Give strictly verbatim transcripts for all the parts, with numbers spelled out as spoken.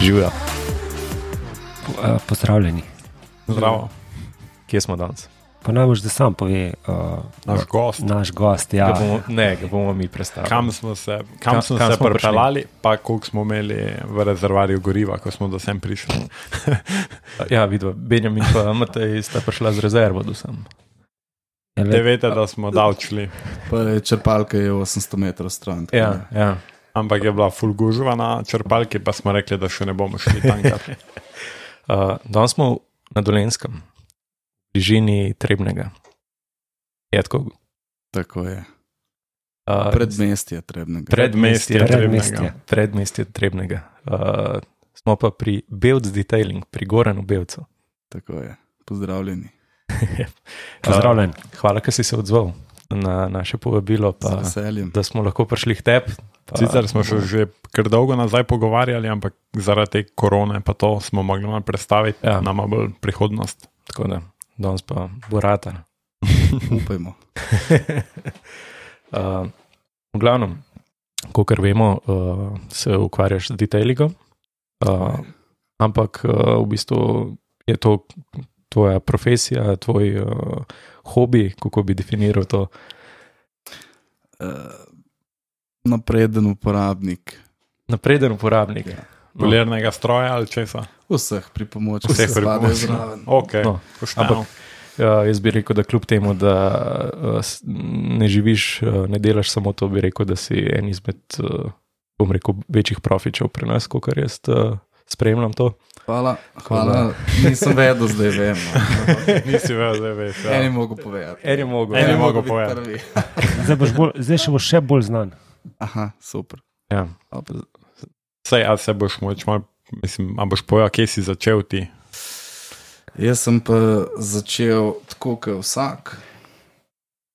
Živijo. Pozdravljeni. Zdravo. Kje smo danes? Pa najbolj, da sam pove uh, naš gost. Naš gost, ja. Ga bomo, ne, ga bomo mi predstavili. Kam smo se, kam kam, smo kam se smo pripeljali, pa koliko smo imeli v rezervarju goriva, ko smo do sem prišli. Ja, vidva, Benjamin pa Matej sta prišla z rezervo do sem. Ja, Te vete, da smo davčili. Pa je črpalka je osemsto metrov stran. Ja, ja. Ampak je bila ful gužva na črpalki, pa smo rekli, da še ne bomo šli tankrat. uh, danes smo na Dolenjskem, v bližini Trebnjega. Je tako? Tako je. Uh, Predmestje Trebnjega. Predmestje Predmestje. Trebnjega. Predmestje Trebnjega. Uh, smo pa pri Belc Detailing, pri Goranu Belcu. Tako je. Pozdravljeni. Pozdravljen. Uh, hvala, ker si se odzval na naše povabilo, pa, Z veseljem. da smo lahko prišli k tebi. Sicer smo še že kar dolgo nazaj pogovarjali, ampak zaradi te korone pa to smo mogli malo predstaviti, Ja. nama bolj prihodnost. Tako da, danes pa bo ratar. Upajmo. uh, v glavnem, kakor vemo, uh, se ukvarjaš z detailingom, uh, ampak uh, v bistvu je to tvoja profesija, tvoj uh, hobi, kako bi definiral to. Uh, napreden uporabnik. Napreden uporabnik. Ja. No, Polirnega stroja ali česa? Vseh pripomočkov. Vseh se spadajo pripomočkov. zraven. Ok, No, pošteno. ampak uh, jaz bi rekel, da kljub temu, da uh, s- ne živiš, uh, ne delaš samo to, bi rekel, da si en izmed, uh, bom rekel, večjih profičev pri nas, kakor jaz uh, spremljam to. Hvala, hvala. Nisem vedel, zdaj vem. No. Nisi vedel, zdaj veš. Ja. Eni mogo povedati. En je mogel. En je Eni mogel mogo biti povedati. prvi. Zdaj, boš bolj, zdaj še boš še bolj znan. Aha, super. Ja. Sej, a se boš moč malo, mislim, a boš povedal, kje si začel ti? Jaz sem pa začel tako, kot vsak.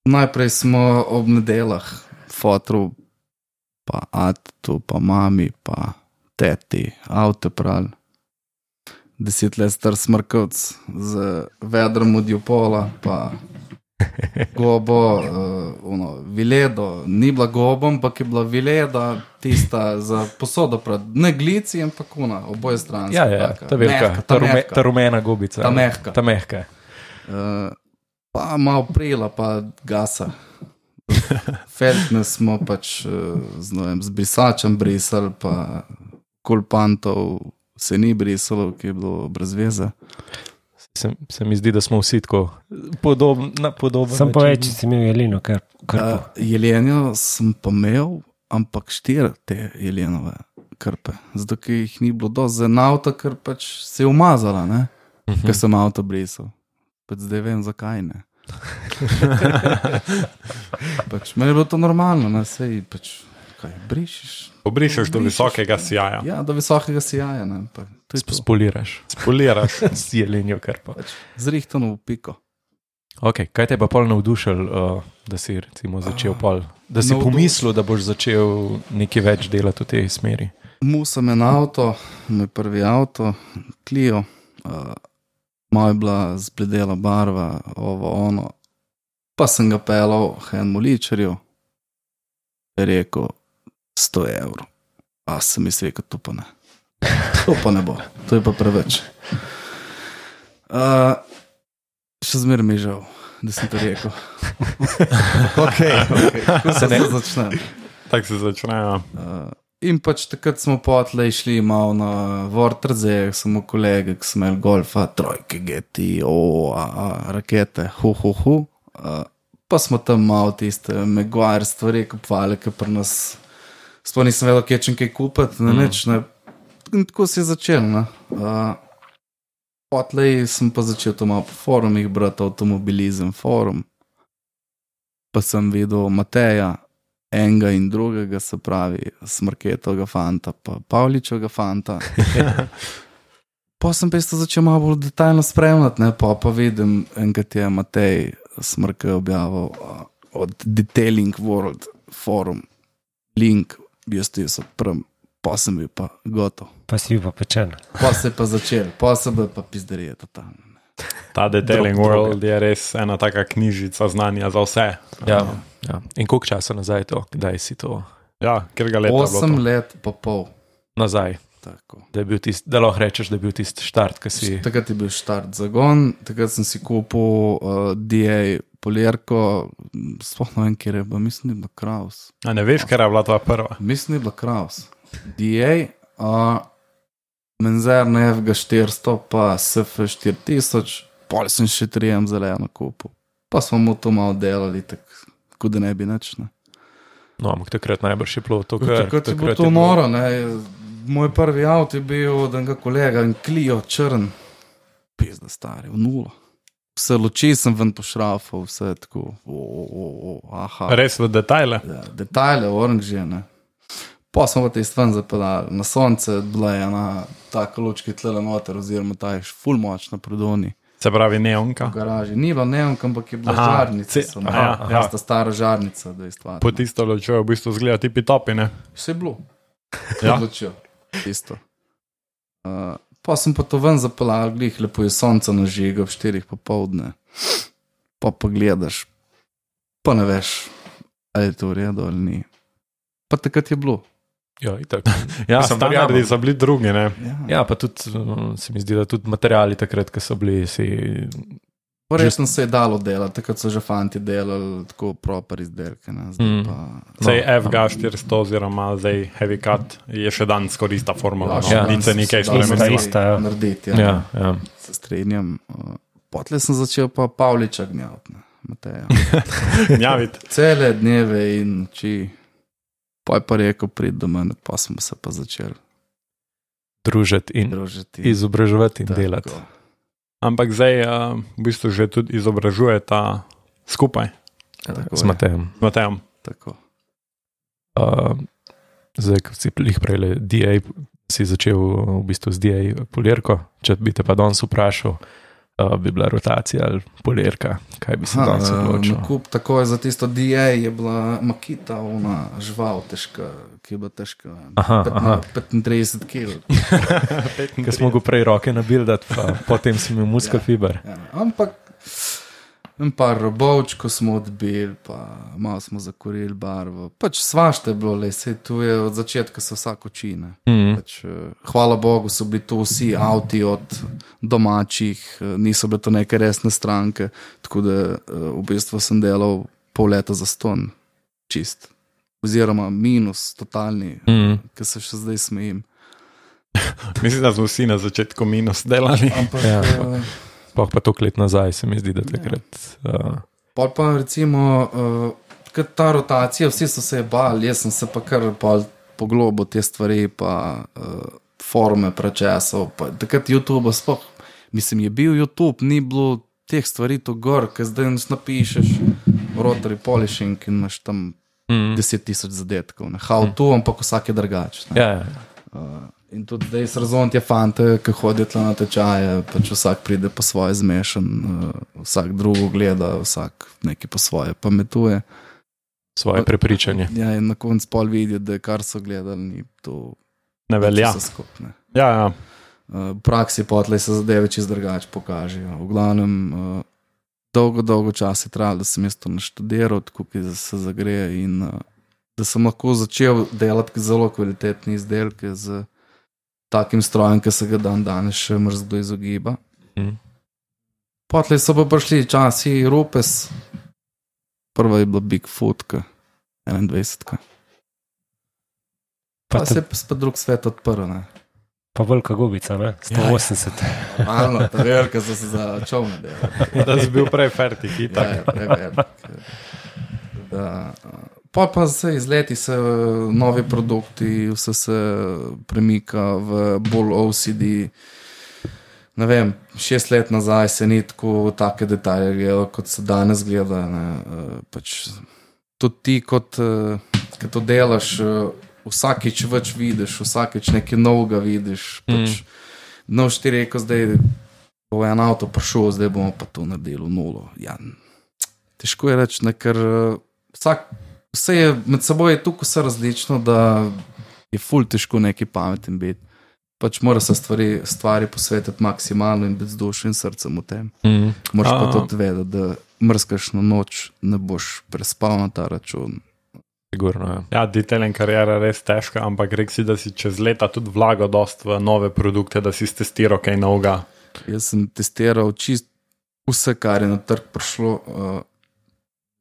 Najprej smo ob nedeljah fotru, pa atu, pa mami, pa teti, avto pral. Deset let star smrkavc z vedrom od Jupola, pa gobo, uh, ono, viledo, ni bila gobo, ampak je bila vileda, tista za posodo, prav, ne glici, ampak ona, oboje stranske. Ja, ja, ta velika, ta, rume, ta rumena gobica. Ta mehka. Ta mehka. Uh, pa malo prila, pa gasa. Feltne smo pač uh, z, ne vem, z brisačem brisali, pa kulpantov se ni brisalo, ki je bilo brez veze. Se, se mi zdi, da smo vsi tako podobni, na podoben Sam pa način. več, če si imel jeleno, kar, kar Uh, jelenjo sem pa imel, ampak štiri te jelenove krpe. Zato, ker jih ni bilo dosti za en avto, ker pač se je umazala, ne? Mhm. Ker sem avto brisal. Pač zdaj vem, zakaj ne. Pač meni je bilo to normalno, ne? Sej pač, kaj, brišeš? Obrišeš do visokega sijaja. Ja, do visokega sijaja, ne? Pa, to je to. Spoliraš Spoliraš. s jelenjo krpo. Zrihtano v piko. Ok, kaj te je pa pol navdušil, uh, da si recimo začel pol, da si Navduš- pomislil, da boš začel nekaj več delati v tej smeri? Mu sem en avto, moj prvi avto, Clio, uh, malo je bila zbledela barva, ovo, ono. Pa sem ga pelal enemu ličarju, je rekel sto evrov. A sem mislil, da to pa ne. To pa ne bo, to je pa preveč. Uh, še zmeraj mi je žal, da sem to rekel. Ok, ok, ko se ne začne. Tako se začnejo. Uh, in pač takrat smo potlej šli malo na Vortrze, samo kolege, ki smo imeli golfa, trojke, G T, o, a, a, rakete, hu, hu, hu. Uh, pa smo tam malo tiste Meguire stvari kupovali, ki pri nas sploh nisem vedel, kje čem kaj kupiti, ne, Mm. nič, ne. In tako se je začel, ne. Uh, potlej sem pa začel to malo po forumih brati, Automobilizem forum. Pa sem videl Mateja, enega in drugega, se pravi Smrketovega fanta, pa Pavličevega fanta. Pa sem pa isto začel malo bolj detaljno spremljati, ne, pa pa vidim, enkrat je Matej Smrke objavil uh, od Detailing World forum, link, jaz ti so prv, pa sem bil pa gotov. pa si bil pa pečen. Pa se je pa začel, pa se bo pa pizderije totalno. Ta Detailing Drug World je res ena taka knjižica znanja za vse. Ja, ja. In koliko časa nazaj je to? Kdaj si to Ja, ker ga leta je bilo Osem to? let pa pol. nazaj? Tako. Da, je bil tist, da lahko rečeš, da je bil tisti štart, ki si. Takrat je bil štart zagon, takrat sem si kupil uh, D A polirko, sploh ne vem, kjer je bila, mislim, da je bila Kraus. A ne veš, ker je bila tvoja prva? Mislim, da je bila Kraus. D A, uh, Menzer na F G štiristo, pa S F štiri tisoč, pol sem še trijem zeleno kupil. Pa smo mu to malo delali, tako da ne bi nič, ne. No, ampak takrat najbrž je bilo to, kar... Takrat je bilo to noro, ne. Moj prvi avto je bil od enega kolega, en Clio črn, pizda stari, v nulo. Vse luči sem ven pošrafal, vse tako, o, o, o, aha. Res v detajle? Ja, detajle, oranžije, ne. Pa smo pa te stven zapeljali na sonce, bila je ena taka lučka tlele noter, oziroma ta je ful moč na prodoni. Se pravi neonka? V garaži. Ni bilo neonka, ampak je bila aha, žarnica. Ce, aha, aha, ja. Ta stara žarnica, da je stvar. Po tisto lučjo v bistvu zgleda tipi topi, ne? Vse je bilo. Ja. Lučjo. Tisto. Uh, pa sem pa to ven zapeljal, glih, lepo je sonce nažiga ob štirih popoldne. Pa pa gledaš, pa ne veš, ali je to v redu ali ni. Pa takrat je bilo. Ja, itak. Ja, standardi so bili drugi, ne? Ja, ja, pa tudi, se mi zdi, da tudi materiali takrat, ki so bili, si... Resno se je dalo delati, takrat so že fanti delali tako proper izdelke, ne? Zdaj Mm. pa... Zdaj No, F G štiristo oziroma zdaj Heavy Cut je še dan skoraj ista formula, Ja, no, ja. nič se nekaj se da spremenilo. ista, ja. narediti, ja. Ja, ja. Se strenjam. Uh, Potle sem začel pa Pavliča gnjaviti, ne, Mateja. Gnjavit. Cele dneve in noči. Pa je pa rekel, prid do mene, pa smo se pa začeli Družiti in družiti. izobraževati in Tako. delati. Ampak zdaj uh, v bistvu že tudi izobražujeta skupaj Tako S je, Matejem. z Matejem. tako. Uh, zdaj, ko si jih prej D A, si začel v bistvu z D A polirko, če bi te pa danes vprašal, uh, bi bila rotacija ali polirka, kaj bi se danes odločil? Nakup takoj za tisto D A je bila Makita, ona žival težka, ki je bila težka Aha, aha. petintrideset kil. Ker smo go prej roke nabildati, pa potem si imel muskofiber. Ja, ampak en par robovčko smo odbili, pa malo smo zakorili barvo. Pač svašte je bilo, le, sej tu je od začetka se vsak uči, ne. Mm. Pač, hvala Bogu so bili to vsi avti od domačih, niso bile to neke resne stranke, tako da v bistvu sem delal pol leta za ston, čist. Oziroma minus, totalni, Mm. ki se še zdaj smejim. Mislim, da smo vsi na začetku minus delali. Ampak Ja. ja. Sploh pa toliko let nazaj se mi zdi, da takrat... Uh, Pol pa recimo, uh, ta rotacija, vsi so se bali, jaz sem se pa kar pol poglobil te stvari, pa uh, forume prečesal, pa takrat YouTube sploh, mislim, je bil YouTube, ni bilo teh stvari to gor, ker zdaj napišeš rotary polishing in imaš tam mm. deset tisoč zadetkov, ne, how to, ampak vsak je drugač. Ne. Ja, ja. Uh, in tudi zdaj se razumem te fante, ki hodijo tla na tečaje, pač vsak pride po svoje zmešan, uh, vsak drugo gleda, vsak nekaj po svoje pametuje. Svoje prepričanje. Ja, in na koncu pol vidijo, da je kar so gledali, ni to Ne velja. vse skupne. Ja, ja. Uh, v praksi potlej se zadeve čist drugače pokažejo. V glavnem, uh, dolgo, dolgo čas je trajalo, da sem jaz to naštudiral, tako ki se zagreje in uh, da sem lahko začel delati zelo kvalitetne izdelke z takim strojem, ki se ga dan danes še mrzlo izogiba. Mm. Potlej so pa prišli časi Rupes, prva je bila Bigfootka, enaindvajsetka. Pa, Pa pa se te- je spet drug svet odprl, ne. Pa velika gubica, ne? sto osemdeset. Malo, ta velika so se za čovne delali. Da si bil prej fertik, Ja, itak. je prevelik. Da, pa pa se iz leti se novi produkti, vse se premika v bolj O C D. Ne vem, šest let nazaj se ni tako take detalje gledalo, kot se danes gleda. Ne. Pač, tudi ti, kot ki to delaš, vsakič več vidiš, vsakič nekaj novega vidiš. Pač, mm. No, ti rekel, zdaj bo en avto prišel, zdaj bomo pa to naredili v nulo. Ja, težko je reči, ne, ker vsak, vse je med seboj je tukaj vse različno, da je ful težko neki pameten biti. Pač mora se stvari, stvari posvetiti maksimalno in biti z dušo in srcem v tem. Mm. Moraš pa A. tudi vedeti, da mrzkaš na noč, ne boš prespal na ta račun. Sigurno, ja. Ja, detailing karijera je res težka, ampak rekel si, da si čez leta tudi vlagal dost v nove produkte, da si testiral kaj novega. Jaz sem testiral čist vse, kar je na trg prišlo. Uh,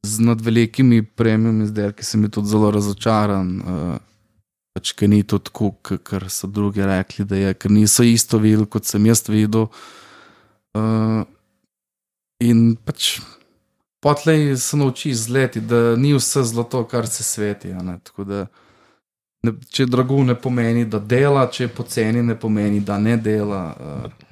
z nad velikimi premium izdelki sem bil tudi zelo razočaran, uh, pač, ker ni to tako, kar so drugi rekli, da je, ker niso isto videli, kot sem jaz videl. Uh, in pač potlej se nauči izleti, da ni vse zlato, kar se sveti. Ne? Tako da, ne, če je drago, ne pomeni, da dela, če je poceni, ne pomeni, da ne dela. Uh,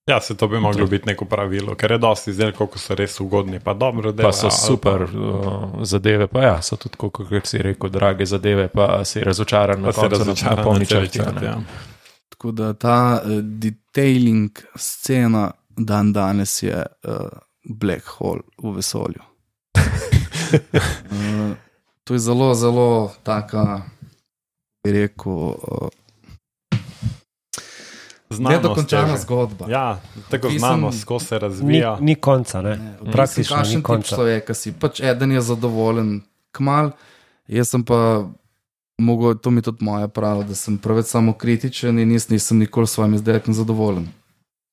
Ja, se to bi moglo biti neko pravilo, ker je dosti izdelkov, ko so res ugodni, pa dobro dela. Pa so super pa, uh, zadeve, pa ja, so tudi, kot si rekel, drage zadeve, pa si razočaran na koncu, na polni črti. Ja. Tako da ta uh, detailing scena dan danes je uh, black hole v vesolju. uh, to je zelo, zelo taka, bi rekel, uh, nedokončana zgodba. Ja, tako znanost, ko se razvija. Ni, ni konca, ne? ne Praktično ni konca. Človeka si. Pač eden je zadovoljen kmal, jaz sem pa, mogo, to mi tudi moja prava, da sem preveč samokritičen in jaz nisem nikoli s svojim izdelkom zadovoljen.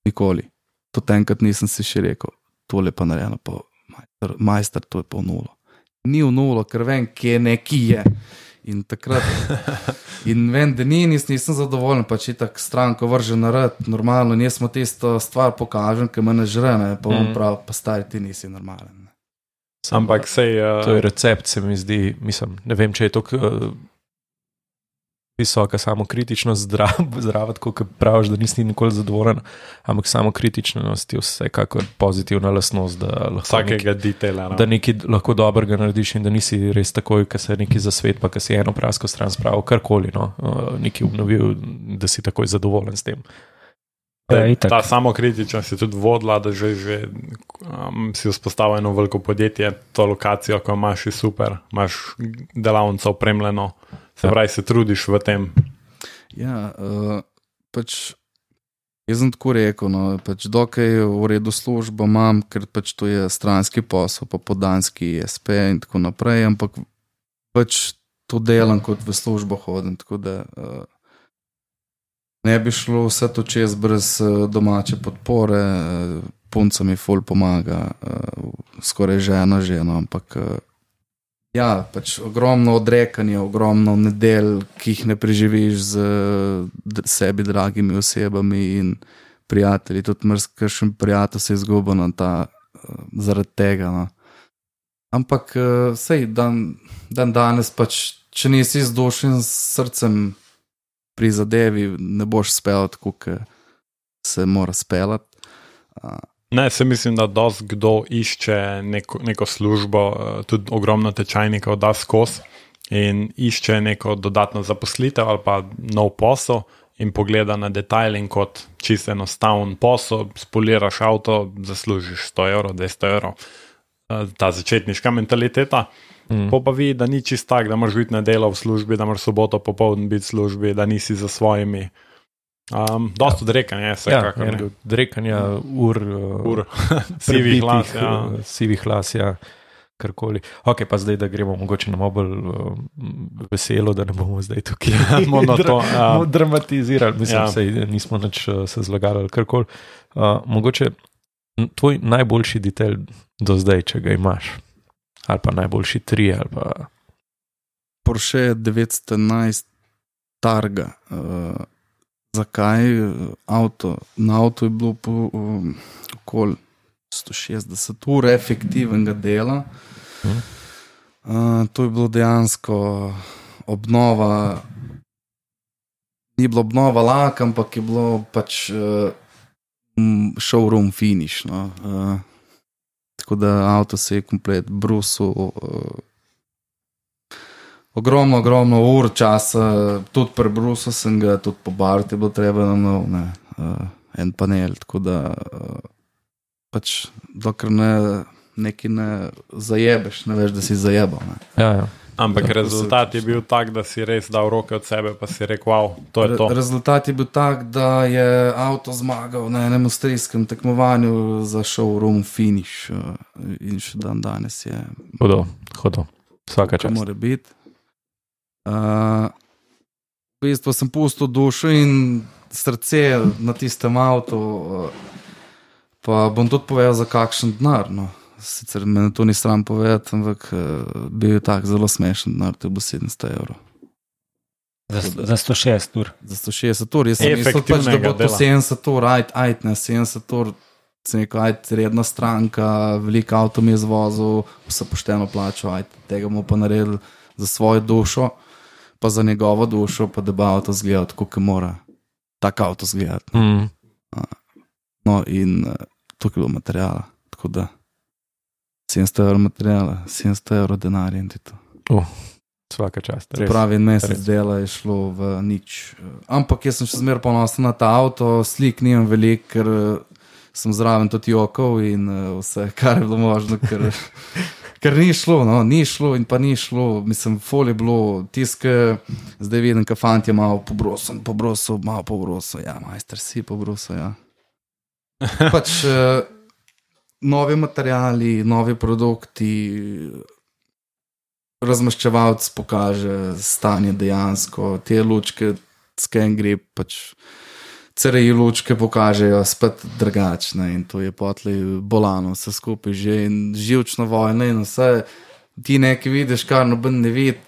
Nikoli. To enkrat nisem si še rekel, tole pa narejeno, pa majster, majster, to je pa v nulo. Ni v nulo, ker vem, kje neki je. In takrat, in vem, da ni, nis, nisem zadovoljen, pa če tak stranko vrže narad, normalno, nismo tisto stvar pokažem, ki me ne žre, ne, pa bom mm. prav, pa stari, ti nisi normalen. Ne. Ampak sej... Uh... To je recept, se mi zdi, mislim, ne vem, če je to uh, visoka samokritičnost zdrava, tako, kot praviš, da nisi nikoli zadovoljen, ampak samokritičnost je vsekakor pozitivna lastnost, da lahko vsakega nekaj, detaila, no. da nekaj lahko dobrega narediš in da nisi res takoj, ko se nekaj zasvet, pa ko si eno prasko stran spravil, karkoli, no, nekaj obnovil, da si takoj zadovoljen s tem. Ja, ta samokritičnost je tudi vodila, da že, že um, si vzpostavil eno veliko podjetje, to lokacijo, ko imaš je super, imaš delavnico opremljeno, se pravi, se trudiš v tem. Ja, uh, pač jaz sem tako rekel, no, pač dokaj v redu službo imam, ker pač to je stranski posel, pa podanski es pe in tako naprej, ampak pač to delam, kot v službo hodim, tako da uh, ne bi šlo vse to čez brez domače podpore, punca mi ful pomaga, skoraj žena žena, ampak ja, pač ogromno odrekanje, ogromno nedelj, ki jih ne preživiš z sebi dragimi osebami in prijatelji, tudi mrzkešen prijatelj se izguba na ta, zaradi tega. No. Ampak sej, dan, dan danes pač, če nisi z dušim srcem pri zadevi, ne boš spel tako, kot se mora spelati. Ne, se mislim, da dosti kdo išče neko, neko službo, tudi ogromno tečajnikov da skozi in išče neko dodatno zaposlitev ali pa nov posel in pogleda na detailing kot čisto enostaven posel, spoliraš avto, zaslužiš sto evrov, dvesto evrov. Ta začetniška mentaliteta. Mm. Po pa vidi, da ni čist tak, da moraš biti na delo v službi, da moraš soboto popoldne biti v službi, da nisi za svojimi. Um, dost ja. Odrekanja je vsekakor. Ja, odrekanja ur, ur. sivih las. Ja. Sivih las, ja, karkoli. Ok, pa zdaj, da gremo mogoče na mobil uh, veselo, da ne bomo zdaj tukaj monoton, ja. dramatizirali. Mislim, ja. sej, nismo nič uh, se zlagali ali karkoli. Uh, mogoče tvoj najboljši detail do zdaj, če ga imaš. Ali pa najboljši tri, ali pa... Porsche devetsto enajst Targa. Uh, zakaj? Auto. Na avtu je bilo po um, okoli sto šestdeset ur efektivnega dela. Hmm. Uh, to je bilo dejansko obnova, ni bilo obnova lak, ampak je bilo pač uh, showroom finish, no. Uh, tako da avto se je komplet brusil, uh, ogromno, ogromno ur časa, tudi pri brusu sem ga, tudi po barti je bilo treba na nov, ne, uh, en panel, tako da uh, pač dokler ne, neki ne zajebeš, ne veš, da si zajebal. Ne. Ja, ja. Ampak rezultat je bil tak, da si res dal roke od sebe, pa si rekel, wow, to je to. Rezultat je bil tak, da je avto zmagal na enem avstrijskem tekmovanju za showroom finish in še dan danes je. Hodo, hodo, vsaka čast. Mora biti. Uh, v bistvu sem pustil dušo in srce na tistem avtu, uh, pa bom tudi povedal za kakšen denar, no. Sicer me to ni sram povedati, ampak uh, bil je tak zelo smešen denar, to je bilo sedemsto evrov. Za, za sto šestdeset ur. Za sto šestdeset ur, jaz sem mislil pač, da bo to sedemdeset ur, ajt, ajt, ne, sedemdeset ur, sem rekel, ajt, redna stranka, veliko avto mi je zvozil, vse pošteno plačal, ajt, tega mu pa naredil za svojo dušo, pa za njegovo dušo, pa da bo avto zgledal tako, kot mora tak avto zgledati. Mm. No, in uh, tukaj je bilo materijala, tako da sedemsto evrov materijala, sedemsto evrov denarja in to. Uh, svaka čast. Se pravi, en mesec dela je šlo v nič. Ampak jaz sem še zmeraj ponosen na ta avto, slik nimam veliko, ker sem zraven tudi jokal in uh, vse, kar je bilo možno, ker, ker ni šlo, no, ni šlo in pa ni šlo. Mislim, fol je bilo, tiske, zdaj vidim, ka fant je malo pobrosil, pobrosil, malo pobrosil, ja, majster si pobrosil, ja. Pač uh, novi materijali, novi produkti, razmaščevalc pokaže stanje dejansko, te lučke, scan grip, pač C R I lučke pokažejo spet drugačne in to je potlej bolano, vse skupaj že in živčno vojno in vse, ti nekaj vidiš, kar noben ne vidi,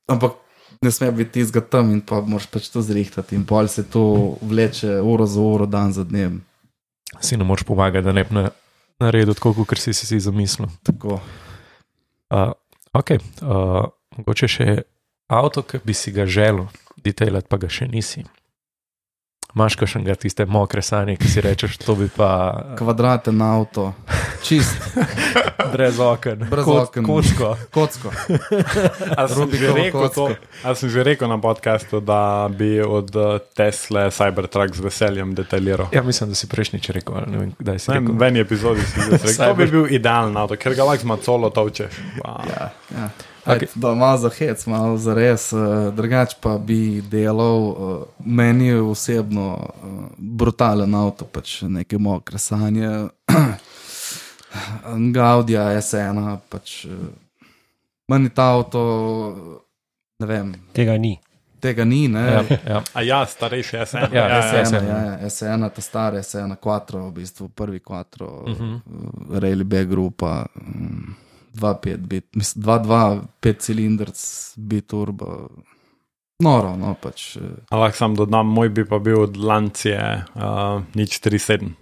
ampak ne sme biti tizga tam in pa moraš pač to zrihtati in pol se to vleče uro za uro, dan za dnem. Si ne moraš pomagati, da ne bi naredil tako, kot si si zamislil. Tako. Uh, ok, uh, mogoče še avto, ki bi si ga želel detailati, pa ga še nisi. Imaš kakšnega tiste mokre sanje, ki si rečeš, to bi pa... Kvadraten avto, čist. Brez oken. Brez Kot, oken. Kocko. Kocko. A sem, že rekel to, a sem že rekel na podcastu, da bi od Tesle Cybertruck z veseljem detailiral. Ja, mislim, da si prejšnjič rekel, ali ne vem, kdaj si Ne, rekel. v eni epizodi si rekel, to bi bil idealen avto, ker ga lahko z macolo tovčeš. Wow. Ja, ja. Okay. Da, malo za hec, malo za res, uh, drugač pa bi delal, uh, meni je osebno uh, brutalen avto, pač neke mokre sanje, Gaudija S ena, pač uh, meni ta avto, ne vem. Tega ni. Tega ni, ne? Ja, ja. A ja, starejši S ena. Ja, ja, S ja, ena, ja, ja, ja, S ena, ta stara S ena, quattro, v bistvu prvi quattro, uh Mhm. -huh. Rally B grupa, um, dva pet bit, mislim, dva dva, pet cilindrc, biturbo, noro, no, pač. A lahko sam dodam, moj bi pa bil od Lancije uh, nič tri sedem.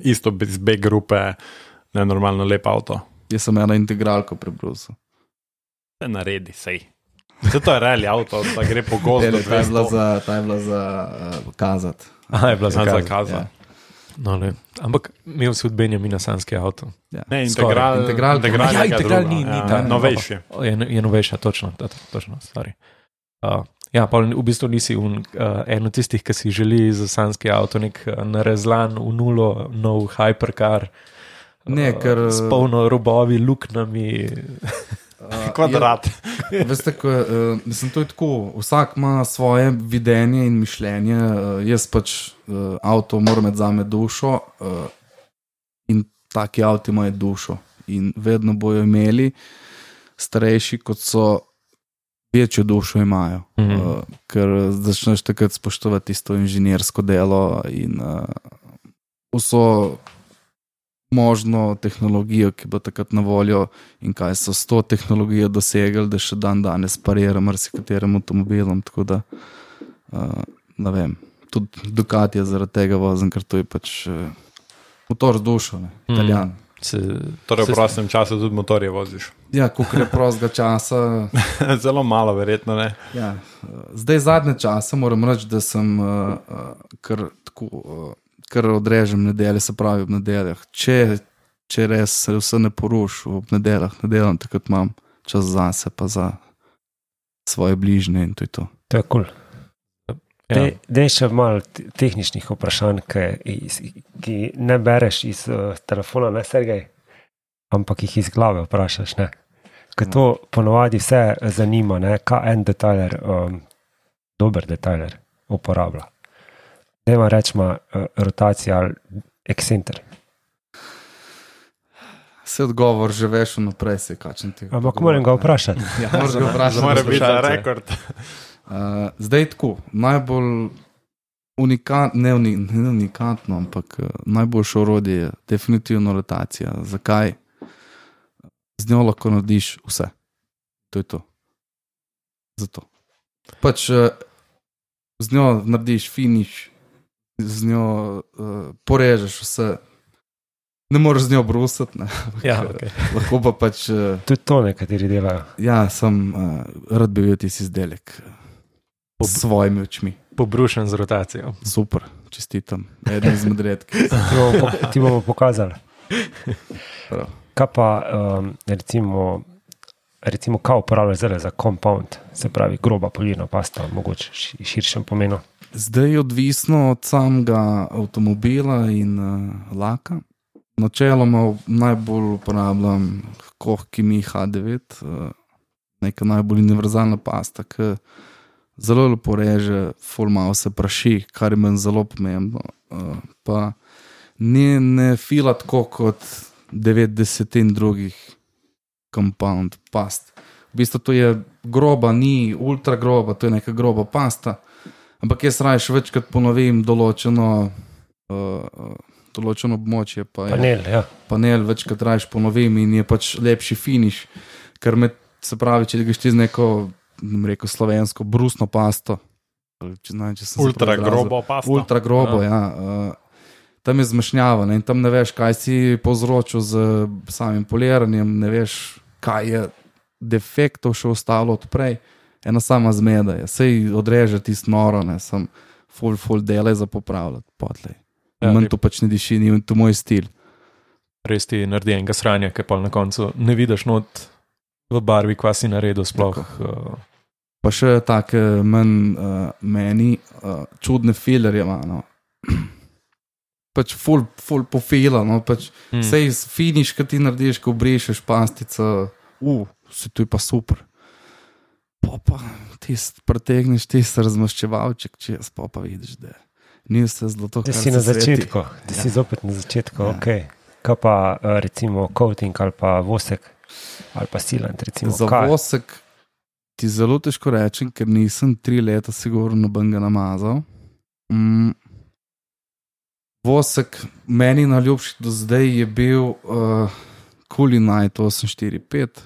Isto z B grupe, nenormalno lep avto. Jaz sem eno integralko prebrusil. Se naredi, sej. Se to je rally avto, da gre po gozdu. Ta je bila za, ta je bila za uh, kazat. Aha, je bila za zakaz. kaza. Ja. No, ne. Ampak imel si od Benjamina sanski avto. Ja. Ne, Skoraj. integral, Integral- integral, Ja, integral ni- ni ta, ja, novejši. Je, je novejša, točno, to- točno, stari. Uh, ja, pa v bistvu nisi un, uh, en od tistih, ki si želi za sanski avto nek uh, narezlan v nulo, nov hypercar. Ne, ker- S polno robovi, luknami. Uh, Kvadrat. Je, veste, ko, uh, mislim, to je tako, vsak ima svoje videnje in mišljenje, uh, jaz pač uh, avto moram imeti zame dušo uh, in taki avti imajo dušo in vedno bojo imeli starejši, kot so večjo dušo imajo, Mhm. uh, ker začneš takrat spoštovati isto inženirsko delo in uh, vso možno tehnologijo, ki bo takrat na voljo in kaj so s to tehnologijo dosegli, da še dan danes parira marsikaterim avtomobilom, tako da uh, ne vem, tudi Ducati je zaradi tega vozim, ker to je pač uh, motor z dušo, ne, Italijan. Mm. Se, Torej v se- prostem času tudi motorje voziš. Ja, koliko je prostega časa. Zelo malo, verjetno ne. Ja, uh, zdaj zadnje čase moram reči, da sem uh, uh, kar tako, uh, kar odrežem nedelje, se pravi ob nedeljah. Če, če res se vse ne poruši ob nedeljah, ne delam, takrat imam čas zase pa za svoje bližnje in to je to. To je kul. ja. Cool. Dej še malo te- tehničnih vprašanj, ki, iz, ki ne bereš iz uh, telefona, ne Sergej, ampak jih iz glave vprašaš. Ne? Ker to ponovadi vse zanima, ne? Kaj en detajler, um, dober detajler uporablja. Dejma rečma uh, rotacija ali ekscenter. Se odgovor že veš vnaprej, se kačem ti. Ampak moram ga vprašati. Ja, moraš ga vprašati. Mora biti za rekord. Uh, zdaj tako, najbolj unikatno, ne, uni, ne unikatno, ampak uh, najboljše orodje je definitivno rotacija. Zakaj? Z njo lahko narediš vse. To je to. Zato. Pač uh, z njo narediš finish, z njo uh, porežeš vse. Ne moreš z njo brusati, ne. Ja, okay. Lahko pa pač... Uh, Tudi to nekateri delajo. ja, sem uh, rad bi bil tisti izdelek uh, s svojimi očmi. Pobrušen z rotacijo. Super, čestitam. Eden izmed redkih. Ti bomo, po, ti bomo pokazali. Prav. Kaj pa um, recimo, recimo kaj uporabljaš zdaj za compound, se pravi groba polirna pasta, mogoče v širšem pomenu? Zdaj je odvisno od samega avtomobila in uh, laka. Načeloma najbolj uporabljam Koch Chemie H devet, uh, neka najbolj univerzalna pasta, ki zelo lepo reže, ful malo se praši, kar je meni zelo pomembno. Uh, pa ne, ne fila tako kot devetdeset in drugih compound past. V bistvu to je groba, ni ultra groba, to je neka groba pasta, ampak jaz raje še večkrat ponovim določeno, uh, določeno območje. Pa Panel, je, ja. Panel večkrat raje ponovim in je pač lepši finish, ker me, se pravi, če greš ti z neko, ne bom rekel, slovensko brusno pasto, če, ne, če sem se Ultra prav izrazil. grobo pasta. Ultra grobo, ja. ja uh, tam je zmešnjava, ne, in tam ne veš, kaj si povzročil z samim poliranjem, ne veš, kaj je defektov še ostalo od prej. Ena sama zmeda je. Sej odreže tisto noro, ne, sem full, full dele za popravljati potlej. Ja, Manj to pač ne diši, ni to moj stil. Res ti naredi enega sranja, ki pa na koncu ne vidiš not v barvi, kva si naredil sploh. Uh, Pa še take manj uh, meni uh, čudne filerje ima, no. Pač full, full pofila, no, pač Hmm. sej finiš, kad ti narediš, ko obrišeš pastica, uh, se tu je pa super. Pa pa tist pretegneš tist razmaščevalček, če jaz pa pa vidiš, da ni vse zlato, Da kar si se na sveti. začetku, da si zopet na začetku, Ja. ok. Kaj pa uh, recimo coating ali pa vosek ali pa silant, recimo Za kaj? vosek ti zelo težko rečem, ker nisem tri leta sigurno nobenega namazal. Mm. Vosek meni naljubši do zdaj je bil uh, Kulinite osem štiri pet.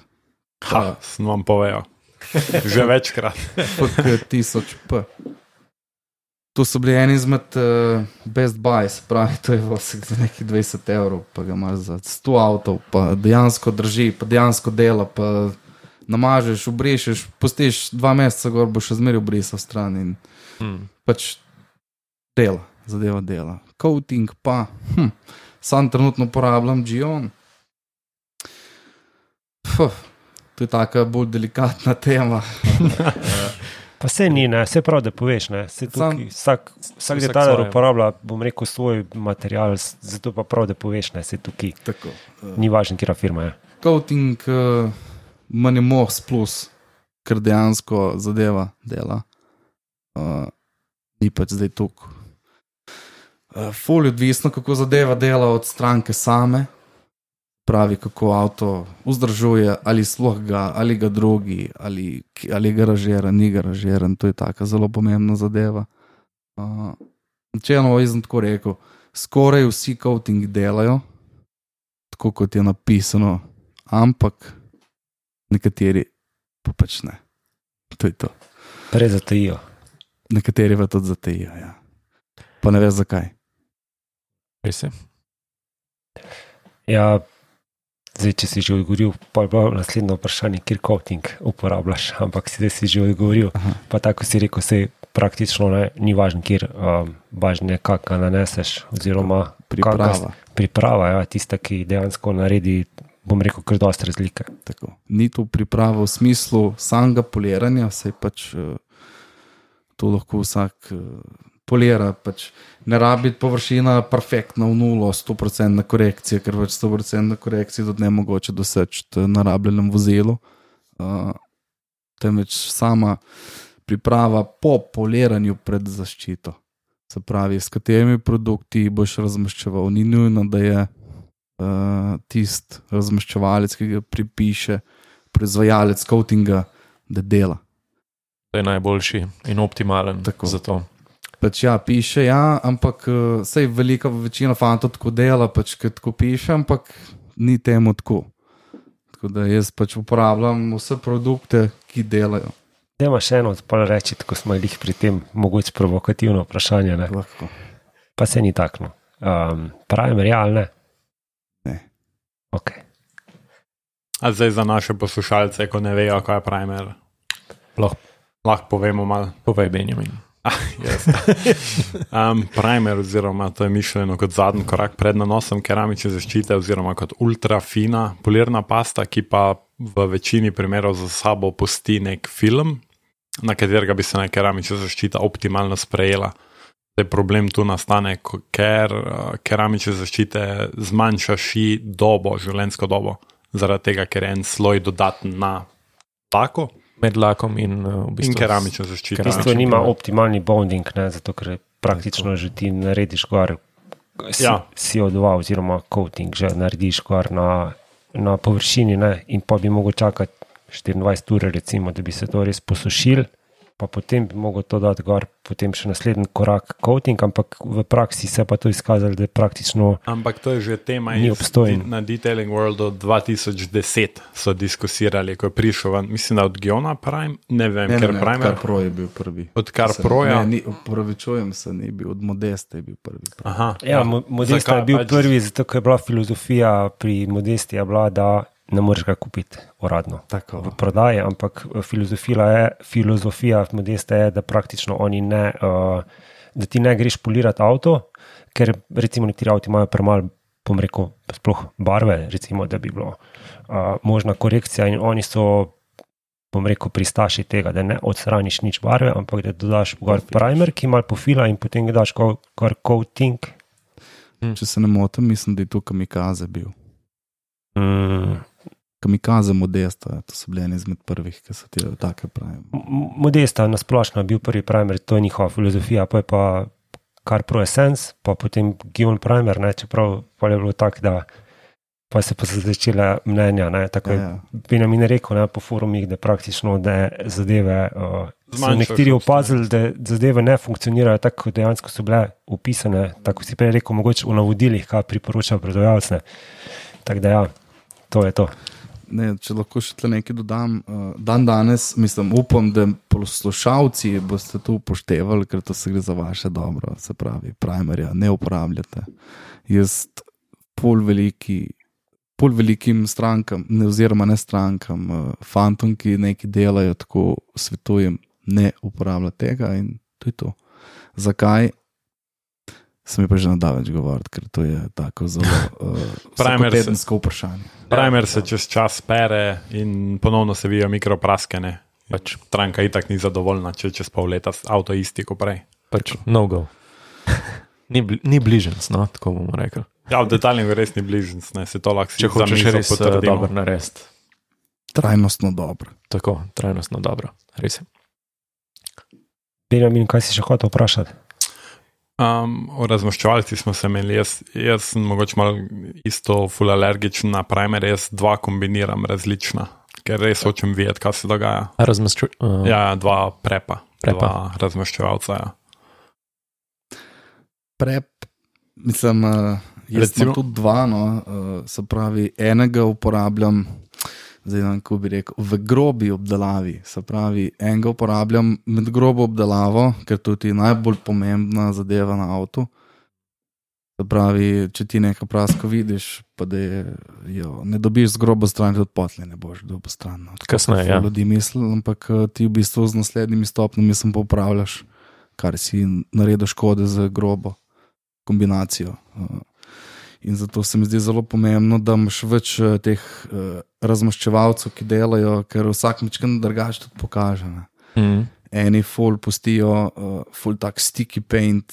Ha, sem vam povedal. Že večkrat. F K tisoč P. To so bili eni izmed uh, best buys, pravi, to je vosek za nekih dvajset evrov, pa ga imaš za sto avtov, pa dejansko drži, pa dejansko dela, pa namažeš, obrišeš, pustiš dva meseca gor, boš še zmeraj obrisal stran in hmm. pač dela, zadeva dela. Coating pa, hm, sam trenutno uporabljam Gion. Fuh, to je taka bolj delikatna tema. Pa se ni, ne, se prav, da poveš, ne, se tukaj, Sam- vsak, vsak vsak detajler svoje. uporablja, bom rekel, svoj material, s- zato pa prav, da poveš, ne, se tukaj, Tako. Uh, ni važno, kjera firma je. coating uh, manj mohs plus, ker dejansko zadeva dela. Uh, ni pač zdaj tukaj. Uh, ful je odvisno, kako zadeva dela od stranke same, pravi, kako avto vzdržuje, ali sploh ga, ali ga drugi, ali, ali je garažiran, ni garažiran, to je taka zelo pomembna zadeva. Uh, Načelno, jaz sem tako rekel, skoraj vsi coating delajo, tako kot je napisano, ampak nekateri pa pač ne. To je to. Prej zatajijo. Nekateri pa tudi zatajijo, ja. Pa ne veš zakaj. Res je. Ja, zdaj, če si že odgovoril, pa je bilo naslednje vprašanje, kjer coating uporabljaš, ampak si zdaj si že odgovoril, Aha. pa tako si rekel, se praktično ne, ni važno, kjer, um, važno je, kak ga naneseš, oziroma Priprava. kaka priprava, ja, tista, ki dejansko naredi, bom rekel, kar dosti razlike. Tako. Ni to priprava v smislu samega poliranja, saj pač uh, to lahko vsak uh, polira, pač ne rabi površina perfektna v nulo, sto procentna korekcija, ker pač sto procentna korekcija tudi ne mogoče doseči na rabljenem vozilu. Uh, temveč sama priprava po poliranju pred zaščito. Se pravi, s katerimi produkti boš razmaščeval. Ni nujno, da je uh, tisti razmaščevalec, ki ga pripiše proizvajalec coatinga, da dela. To je najboljši in optimalen Tako. za to. Pač ja, piše, ja, ampak uh, sej velika večina fantov tako dela, pač kad tako piše, ampak ni temu tako. Tako da jaz pač uporabljam vse produkte, ki delajo. Dajmo še eno odpol reči, tako smo jih pri tem mogoče provokativno vprašanje, ne? Lahko. Pa se ni takno. Um, primer, ja ali ne? Ne. Ok. A zdaj za naše poslušalce, ko ne vejo, kaj je primer, Lahko lahko povemo malo. povej, Benjamin. Ah, yes. um, primer, oziroma to je mišljeno kot zadnji korak pred nanosom keramične zaščite, oziroma kot ultrafina polirna pasta, ki pa v večini primerov za sabo pusti nek film, na katerega bi se na keramična zaščita optimalno sprejela. Zdaj problem tu nastane, ker uh, keramične zaščite zmanjšaš dobo, življenjsko dobo, zaradi tega, ker je en sloj dodaten na tako. Med lakom in uh, v bistvu In keramično zaščito. V bistvu nima optimalni bonding, ne, zato ker praktično že ti narediš gor C- Ja. C O dva oziroma coating, že narediš gor na, na površini, ne, in pa bi mogel čakati štiriindvajset ur, recimo, da bi se to res posušil, pa potem bi mogel to dati gor, potem še naslednji korak coating, ampak v praksi se pa to izkazalo, da je praktično Ampak to je že tema Ni iz, obstojen. na Detailing Worldu dva tisoč deset so diskusirali, ko je prišel ven, mislim, da od Giona Prime, ne vem, Ne, ker ne, ne, Primer, Kar Pro je bil prvi. od Kar Se- Proja. Ne, ni, opravičujem se, ni bil, od Modesta je bil prvi. Aha, Ja, Mo- Modesta Zakaj je bil pač- prvi, zato ker je bila filozofija pri Modesti je bila, da ne moreš ga kupiti uradno Tako. v prodaji, ampak filozofija je, filozofija Modesta je, da praktično oni ne, uh, da ti ne greš polirati avto, ker recimo nekateri avti imajo premalo, bom rekel, sploh barve, recimo, da bi bilo uh, možna korekcija in oni so, bom rekel, pristaši tega, da ne odstraniš nič barve, ampak da dodaš gor primer, ki malo pofila in potem ga daš gor gor coating. Če se ne motim, mislim, da je to Kamikaze bil. Mm. Kamikaze Modesta, to so bili eni izmed prvih, ki so ti take pravim. M- Modesta na splošno je bil prvi primer, to je njihova filozofija, pa je pa Kar Pro Essence, pa potem Gion Primer, ne, čeprav pa je bilo tako, da pa se pa so začele mnenja, ne, tako je Ja, ja. Benjamin rekel, ne, po forumih, da praktično da zadeve, uh, so Zmanjšaš nekateri obstoj. opazili, da zadeve ne funkcionirajo tako, kot dejansko so bile upisane, tako si prej rekel, mogoče v navodilih, kaj priporoča prodajalec, ne. Tako da ja, to je to. Ne, če lahko še tle nekaj dodam, uh, dan danes, mislim, upam, da poslušalci boste to upoštevali, ker to se gre za vaše dobro, se pravi, primerja, ne uporabljate. Jaz pol veliki, pol velikim strankam, ne, oziroma ne strankam, uh, fantom, ki nekaj delajo, tako svetujem, ne uporabljati tega in to je to. Zakaj? Sem je pa že nadal več govoriti, ker to je tako zelo uh, Primer se- vsakotedensko vprašanje. Primer se čez čas pere in ponovno se vijo mikropraskene. Pač, Stranka itak ni zadovoljna, če čez pol leta avto isti kot prej. pač no go. ni, bli, ni bližnc, no, tako bomo rekli. Ja, v detaljnih res ni bližnjic, ne, se to lahko Če za hočeš mizo res uh, potrdimo. dobro narediti. Trajnostno dobro. Tako, trajnostno dobro. Res je. Benjamin, kaj si še hotel vprašati? Um, o razmaščevalcih smo se imeli, jaz, jaz sem mogoče malo isto ful alergičen na primer, jaz dva kombiniram različna, ker res hočem videti, kaj se dogaja. Razmašču, uh, Ja, dva prepa, Prepa. dva razmaščevalca, ja. Prep, mislim, uh, jaz Recimo- imam tudi dva, no, uh, se pravi, enega uporabljam, zdaj ne vem, kako bi rekel, v grobi obdelavi, se pravi, enega uporabljam med grobo obdelavo, ker to ti je najbolj pomembna zadeva na avtu. Se pravi, če ti nekaj prasko vidiš, pa da je, jo, ne dobiš z grobo stran, tudi potlej ne boš dobil stran. No. Tako Kasneje, ful ja. Ljudi misli, ampak eh, ti v bistvu z naslednjimi stopnjami sem popravljaš, kar si naredil škode z grobo kombinacijo. Eh, In zato se mi zdi zelo pomembno, da imaš več eh, teh eh, razmaščevalcev, ki delajo, ker vsak mečkan drugače tudi pokaže. Ne. mm, Eni ful pustijo, uh, ful tak sticky paint,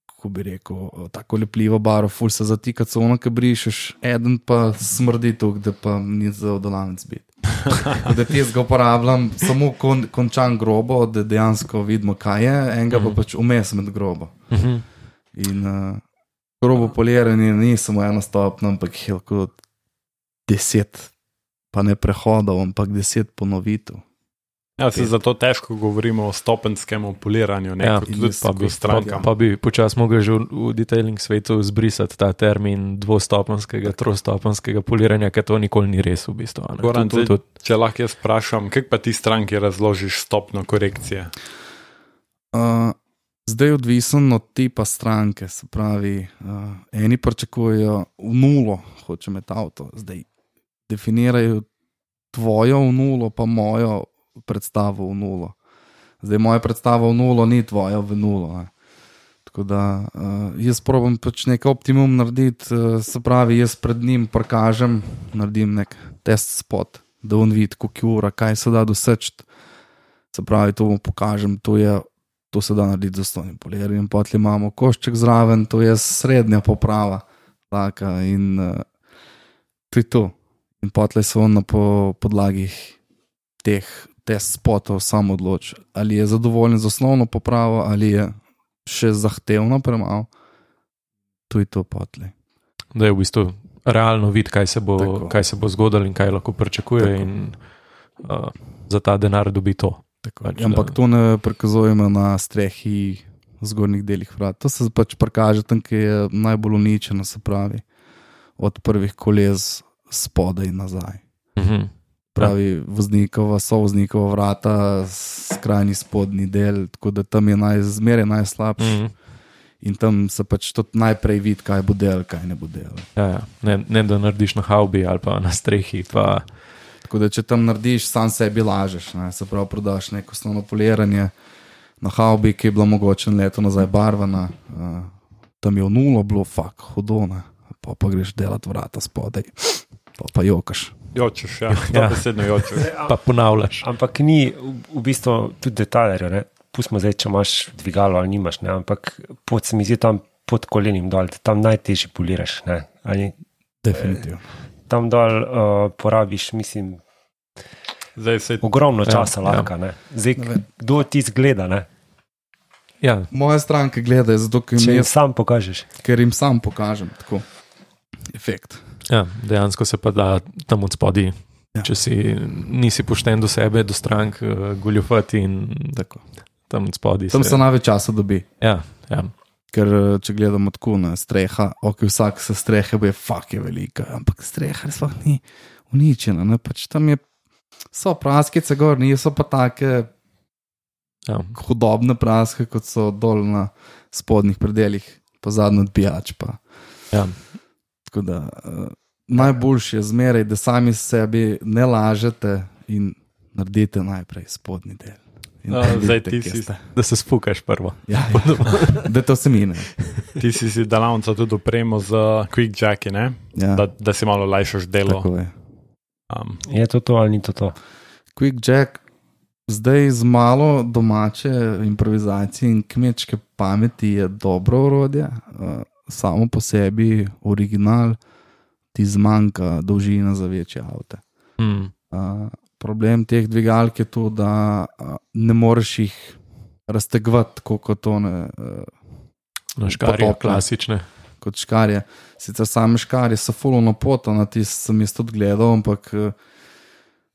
kako bi rekel, uh, tako lepljivo barvo, ful se zatika cono, ki brišeš, eden pa smrdi tuk, da pa ni za odolanec biti. Tako da ti jaz ga uporabljam samo kon, končan grobo, da dejansko vidimo, kaj je, enega pa pač vmes med grobo. mhm. In uh, Grobo poliranje ni samo eno stopno, ampak je lahko deset, pa ne prehodov, ampak deset ponovitev. Ja, se zato težko govorimo o stopenskem poliranju, ne, Ja, kot tudi pa bi- pa strankam. Pa bi počas mogel že v, v detailing svetu zbrisati ta termin dvostopenskega, trostopenskega poliranja, ker to nikoli ni res v bistvu. a ne. Goran, To- to- zdaj, to- če lahko jaz vprašam, kako pa ti stranki razložiš stopno korekcije? Uh, zdaj je odvisen od tipa stranke, se pravi, uh, eni pričakujejo v nulo, hoče imeti avto, zdaj definirajo tvojo v nulo, pa mojo predstavo v nulo. Zdaj moja predstava v nulo ni tvoja v nulo. Ne. Tako da uh, jaz probam pač nek optimum narediti, uh, se pravi, jaz pred njim prikažem, naredim nek test spot, da on vidi, koliko ura, kaj se da doseči. Se pravi, to mu pokažem, to je. To se da narediti z osnovnim poliranjem. Potem imamo košček zraven, to je srednja poprava. Taka, in uh, to je to. In potem se on na po, podlagi teh test spotov sam odloči, ali je zadovoljen z osnovno popravo, ali je še zahtevno premalo. To je to potlej. Da je v bistvu realno vid, kaj se bo, Tako. kaj se bo zgodilo in kaj lahko pričakuje, Tako. in uh, za ta denar dobi to. Tako, Pač, ampak da- to ne prikazujemo na strehi v zgornjih delih vrat. To se pač prikaže tam, ki je najbolj uničeno, se pravi, od prvih koles spodaj in nazaj. Mhm. Pravi voznikova, sovoznikova vrata, skrajni spodnji del, tako da tam je naj, zmeraj najslabši. Mhm. In tam se pač tudi najprej vidi, kaj bo del, kaj ne bo del. Ja, ja. Ne, ne da narediš na haubi ali pa na strehi. Pa, Tako da, če tam narediš, sam sebi lažeš. Ne? Se pravi, prodaš neko osnovno poliranje na haubi, ki je bila mogoče leto nazaj barvana, uh, tam je v nulo bilo, fak, hodona, pa pa greš delati vrata spodaj, pa pa jokaš. Jočeš, ja, Ja. dobesedno jočeš. pa ponavljaš. Ampak ni v, v bistvu tudi detajlerjev, ne. Pustimo zdaj, če imaš dvigalo ali nimaš, ne, ampak pod se mi zdi tam pod kolenim dol, tam najtežje poliraš, ne. Ali Definitivno. tam dol uh, porabiš, mislim, Zdaj se ogromno Ja, časa ja. lahko, ne. Zdaj, Ne vem. kdo ti zgleda, ne, Ja, Moje stranke gledajo, zato ker če jim, jim jaz, sam pokažeš. ker jim sam pokažem tako efekt. ja, dejansko se pa da tam od spodaj. Ja. Če si nisi pošten do sebe, do strank, uh, goljufati in Tako. tam od spodaj. Tam se največ časa dobi. Ja, ja. Ker eh, če gledamo tako na streha, ok, vsak se strehe bo je fak je velika, ampak streha sploh ni uničena. Ne? Pač tam je, so praskice gor, niso pa take ja. hudobne praske, kot so dol na spodnjih predeljih, pa zadnji odbijač. Pa. Ja. Tako da uh, najboljše je zmeraj, da sami sebi ne lažete in naredite najprej spodnji del. In No, potem zdaj vidite, ti kje si- ste. Da se spukaš prvo. Ja, ja. Da to se mine. ti si si delavnica tudi opremo z quick jacki, ne? Ja, Da, da si malo lajšaš delo. tako je. Um, Je to to ali ni to to? Quick Jack, zdaj z malo domače improvizacije in kmečke pameti je dobro orodje, uh, samo po sebi original, ti zmanjka dolžina za večje avte. Mm. Uh, problem teh dvigalk je to, da uh, ne moreš jih raztegovati, tako kot one. Uh, Na škarje, Potopne. klasične. kot škarje. Sicer same škarje so fulovno potone, ti sem jaz tudi gledal, ampak eh,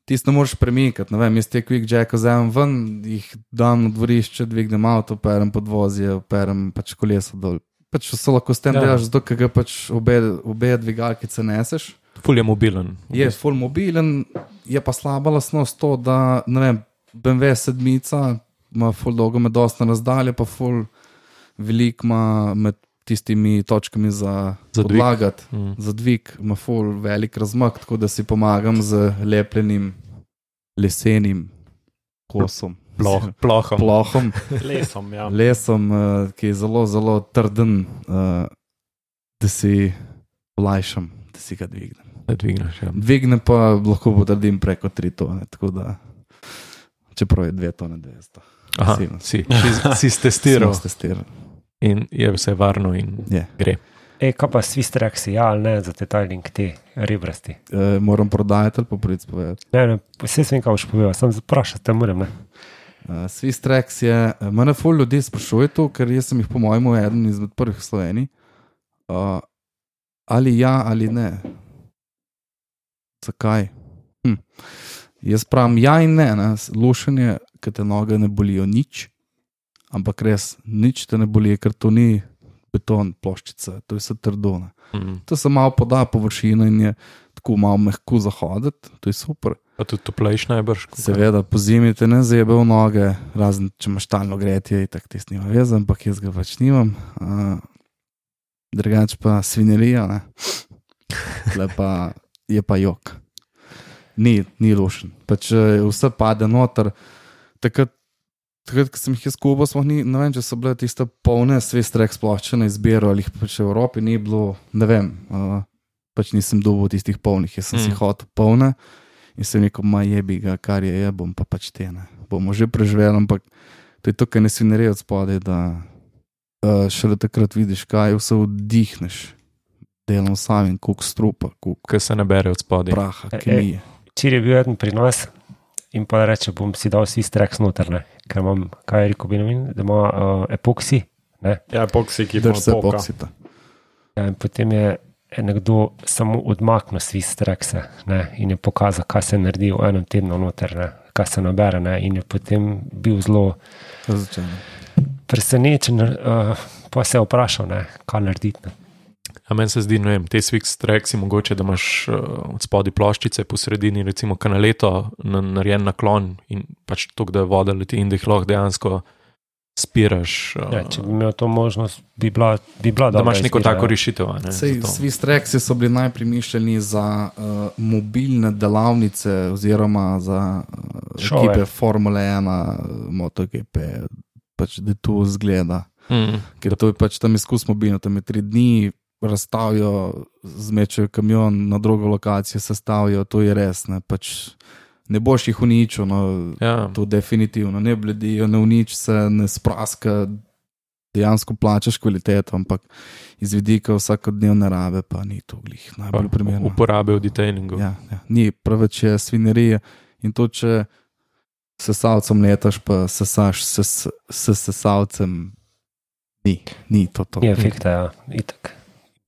tisto ne moreš premikati. Ne vem, jaz te quick jack vzamem ven, jih dam na dvorišče, dvignem avto, perem podvozje, perem pač kolesa dol. Pač vse lahko s tem Ja. delaš, zato ker ga pač obe, obe dvigalkice neseš. Ful je mobilen. Je full mobilen, je pa slaba lastnost to, da ne vem, B M W sedmica ima full dolgo med dosta razdalje, pa full velik ima med tistimi točkami za, Za za dvig. podlagati. Mm. Za dvig ima full velik razmak, tako da si pomagam z lepljenim lesenim kosom. Ploh, plohom. Plohom, lesom, ja. lesom, uh, ki je zelo, zelo trden, uh, da si olajšam, da si ga dvignem. Da dvigneš. Ja. Dvigne pa lahko potrdim preko tri tone, tako da čeprav je dve tone dvesto. Aha, Silno. si, si, si stestiral Smo testirali. in je vse varno in Je. gre. Ej, kaj pa Swiss Trax, ja ali ne, za detailing te rebrasti? E, moram prodajati ali pa priti povedati. Ne, ne, vse sem kaj boš povedal, sem zaprašal, te moram, ne. Uh, Swiss Trax je, mene ful ljudi sprašuje to, ker jaz sem jih po mojemu eden izmed prvih v Sloveniji. Uh, ali ja, ali ne. Zakaj? Hm. Jaz pravim ja in ne, ne. Lušenje, ker te noge ne bolijo nič, ampak res nič te ne boli, ker to ni beton, ploščica, to je vse trdo. Mm. To se malo poda površina in je tako malo mehko zahoditi, to je super. Pa tudi toplejš najbrž. Seveda, po zimi te ne zebe v noge, razen če imaš talno gretje, tak tis nima veze, ampak jaz ga pač nimam. Uh, drugač pa svinelija, ne. Tle pa je pa jok. Ni, ni lušen. Pač vse pade noter. Takrat, takrat, ko sem jih jaz kubo, smo ni, ne vem, če so bile tiste polne svestrek sploščene izbiro, ali jih pač v Evropi ni bilo, ne vem, uh, pač nisem dobil tistih polnih, jaz sem mm. si hotel polne in sem rekel, ma jebi ga, kar je, je, bom pa pač te, ne. Bomo že preživeli, ampak to je to, kaj ne svinerijo od spodaj, da uh, šele takrat vidiš, kaj vse vdihneš. Delam sam in koliko strupa, koliko Kaj se ne bere od spodaj. praha, kemije. Včeraj je bil eden pri nas in pa reče, bom si dal svi streks noter, ne? Ker imam, kaj je rekel Benjamin, da ima uh, epoksi, ne? Ja, epoksi, ki Drž se poka. epoksita. Ja, in potem je nekdo samo odmaknil svi strekse, ne? In je pokazal, kaj se naredi v enem tednu noter, ne? Kaj se nabere, ne? In je potem bil zelo presenečen, uh, pa se je vprašal, ne? Kaj narediti, ne? A meni se zdi, ne vem, te Swix Tracksi mogoče, da imaš uh, od spodaj ploščice, po sredini recimo kanaleto, na, narejen naklon in pač toliko, da je voda leti in da jih lahko dejansko spiraš. Uh, Ja, če bi imel to možnost, bi bila, bi bila da dobra imaš neko izbira, tako ja. rešitev. a Ne, Sej, za to. svi streksi so bili najprej mišljeni za uh, mobilne delavnice oziroma za uh, Šove. ekipe Formule ena, MotoGP, pač da to zgleda. Mm. Ker to je pač tam izkus mobilno, tam je tri dni, razstavijo, zmečajo kamion na drugo lokacijo, sestavijo, to je res, ne, pač ne boš jih uničil, no, Ja. to definitivno, ne bledijo, ne unič se, ne spraska, dejansko plačaš kvaliteto, ampak iz vidika vsakodnevne rabe pa ni to glih najbolj primerno. Uporabe v detailingu. Ja, ja. Ni, preveč je svinerije in to, če sesalcem letaš, pa sesaš se s sesalcem, ni, ni to to. Ni efekta, ja, itak.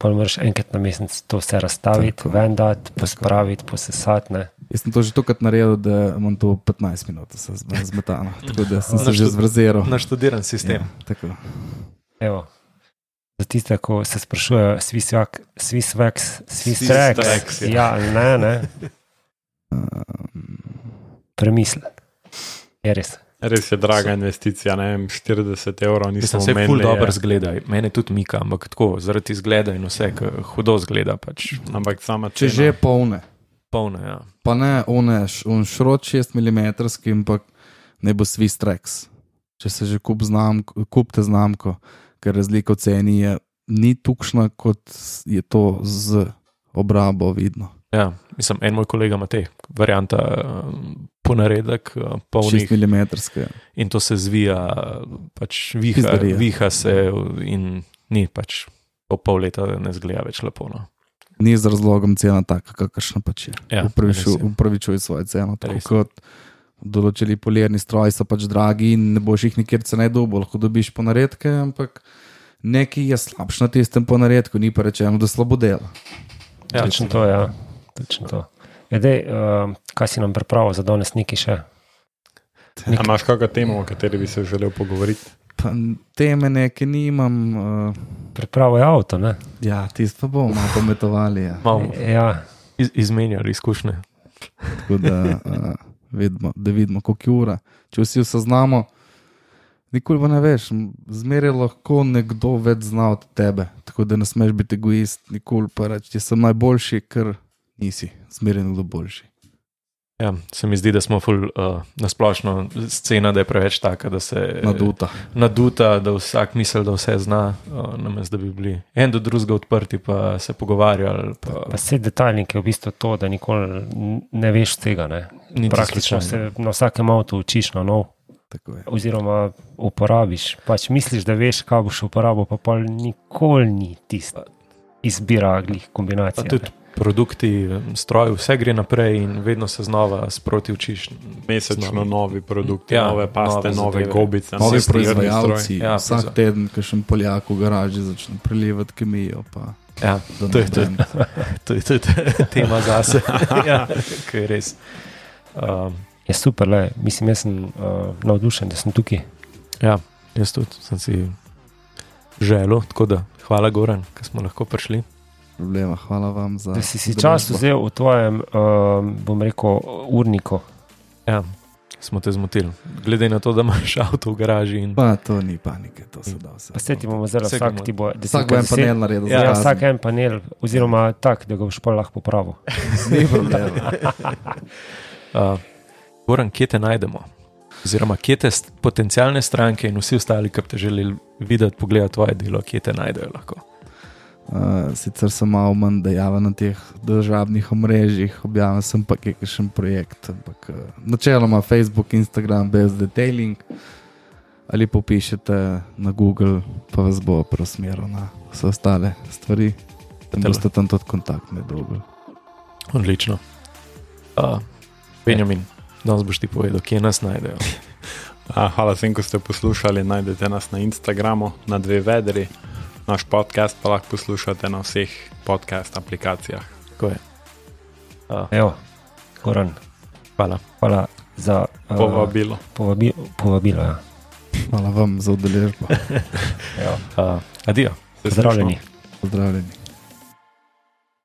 Pa moraš enkrat na mesec to vse razstaviti, Tako. vendati, pospraviti, posesati, ne. Jaz sem to že tokrat naredil, da imam to petnajst minut se zme- zmetano, tako da sem se že Naštud- zvrzeral. Naštudiran sistem. Ja, tako. Evo, za tiste, ko se sprašujejo, Swiss Wax, Swiss Wax, Swiss Swiss Tracks, Tracks, ja. ja, ne, ne, premisli. Je res. Res je draga investicija, ne vem, štirideset evrov nisem Mislim, se je ful omenili, dobro je- zgleda. Mene tudi mika, ampak tako, zaradi izgleda in vse, ke hudo zgleda, pač Ampak sama Če cena. že polne, polno, ja. pa ne one, š- on šrot šest milimetrov, ampak ne bo Swiss Tracks. Če se že kup znamko, kupite znamko, ker razlika v ceni je ni tukšna, kot je to z obrabo vidno. Ja, mislim, en moj kolega ima te varianta uh, ponaredek, uh, polnih šest milimetrov. in to se zvija, pač viha, Pizdarija. viha se in ni pač po pol leta ne zgleda več lepo. No. Ni z razlogom cena taka, kakršna pač je. Ja, Upravičuj- res je. Upravičuj svojo ceno. Tako Res je. kot določili polirni stroji so pač dragi in ne boš jih nikjer cenej dobil, lahko dobiš ponaredke, ampak nekaj je slabš na tistem ponaredku, ni pa rečeno, da slabo dela. Ja, Točno to, ja. Točno to. Edej, uh, kaj si nam pripravil za danes neki še? A imaš kakšno temo, o kateri bi se želel pogovoriti? Pa teme neke nimam, uh, Pripravo je avto, ne? ja, tisto pa bomo malo pometovali. Ja. malo Ja, iz, izmenjali izkušnje. Tako da, uh, vidimo, da vidimo, koliko je ura. Če vsi vse znamo, nikoli pa ne veš, zmeraj lahko nekdo več zna od tebe. Tako da ne smeš biti egoist, nikoli pa reči, da sem najboljši, ker nisi, zmeraj nekdo boljši. Ja, se mi zdi, da smo ful uh, nasplošno scena, da je preveč taka, da se Naduta. naduta, da vsak misli, da vse zna, uh, namesto da bi bili en do drugega odprti, pa se pogovarjali. Pa, pa vse detaljnike je v bistvu to, da nikoli n- ne veš tega, ne? Niti Praktično slučajno. se na vsakem avtu učiš na nov, Tako je. oziroma uporabiš. Pač misliš, da veš, kaj boš uporabil, pa pol nikoli ni tista izbira glih Pa kombinacija. tudi produkti, stroj, vse gre naprej in vedno se znova sproti učiš. Mesečno novi produkti, Ja, nove paste, nove nove zadeve. gobice. Novi nov stirni proizvajalci, Ja, vsak proizva- teden, ki še Poljak v garaži začne prelivati kemijo. Pa, Ja, da to je ne tudi vem. to je tudi tema zase. Ja, ki je res. Um, Je super, le. Mislim, jaz sem uh, navdušen, da sem tukaj. ja, jaz tudi sem si želel, tako da hvala Goran, ker smo lahko prišli. Problema, hvala vam za. Da si si udeležbo. čas vzel v tvojem, um, bom rekel, urniku. Ja, smo te zmotili. Glede na to, da imaš avto v garaži in Pa to ni panike, to se da vse. Pa se ti bomo zdaj Vse vsak bomo- ti bo Vsak bo en panel naredil za Ja, kazen. vsak en panel, oziroma tak, da ga boš pa lahko popravil. Ni problema. Uh, Goran, kje te najdemo? Oziroma, kje te st- potencialne stranke in vsi ostali, ki bi te želeli videti, pogledati tvoje delo, kje te najdejo lahko? Uh, sicer sem malo manj dejaven na teh državnih omrežjih, objavil sem pa kakšen projekt, ampak uh, načeloma Facebook, Instagram, brez detailing, ali popišete na Google, pa vas bo preusmeril na vse ostale stvari. Tam Tele. boste tam tudi kontakt med drugim. Odlično. Uh, Benjamin, danes boš ti povedal, kje nas najdejo. A, hvala vsem, ko ste poslušali. Najdete nas na Instagramu, na dve vedri. Naš podcast pa lahko poslušate na vseh podcast aplikacijah. Tako je. Uh, Evo, Goran, hvala. hvala za uh, Povabilo. povabi, povabilo. Ja. Hvala vam za udeležbo. Evo, Uh, adijo. Se pozdravljeni. slišimo. Pozdravljeni.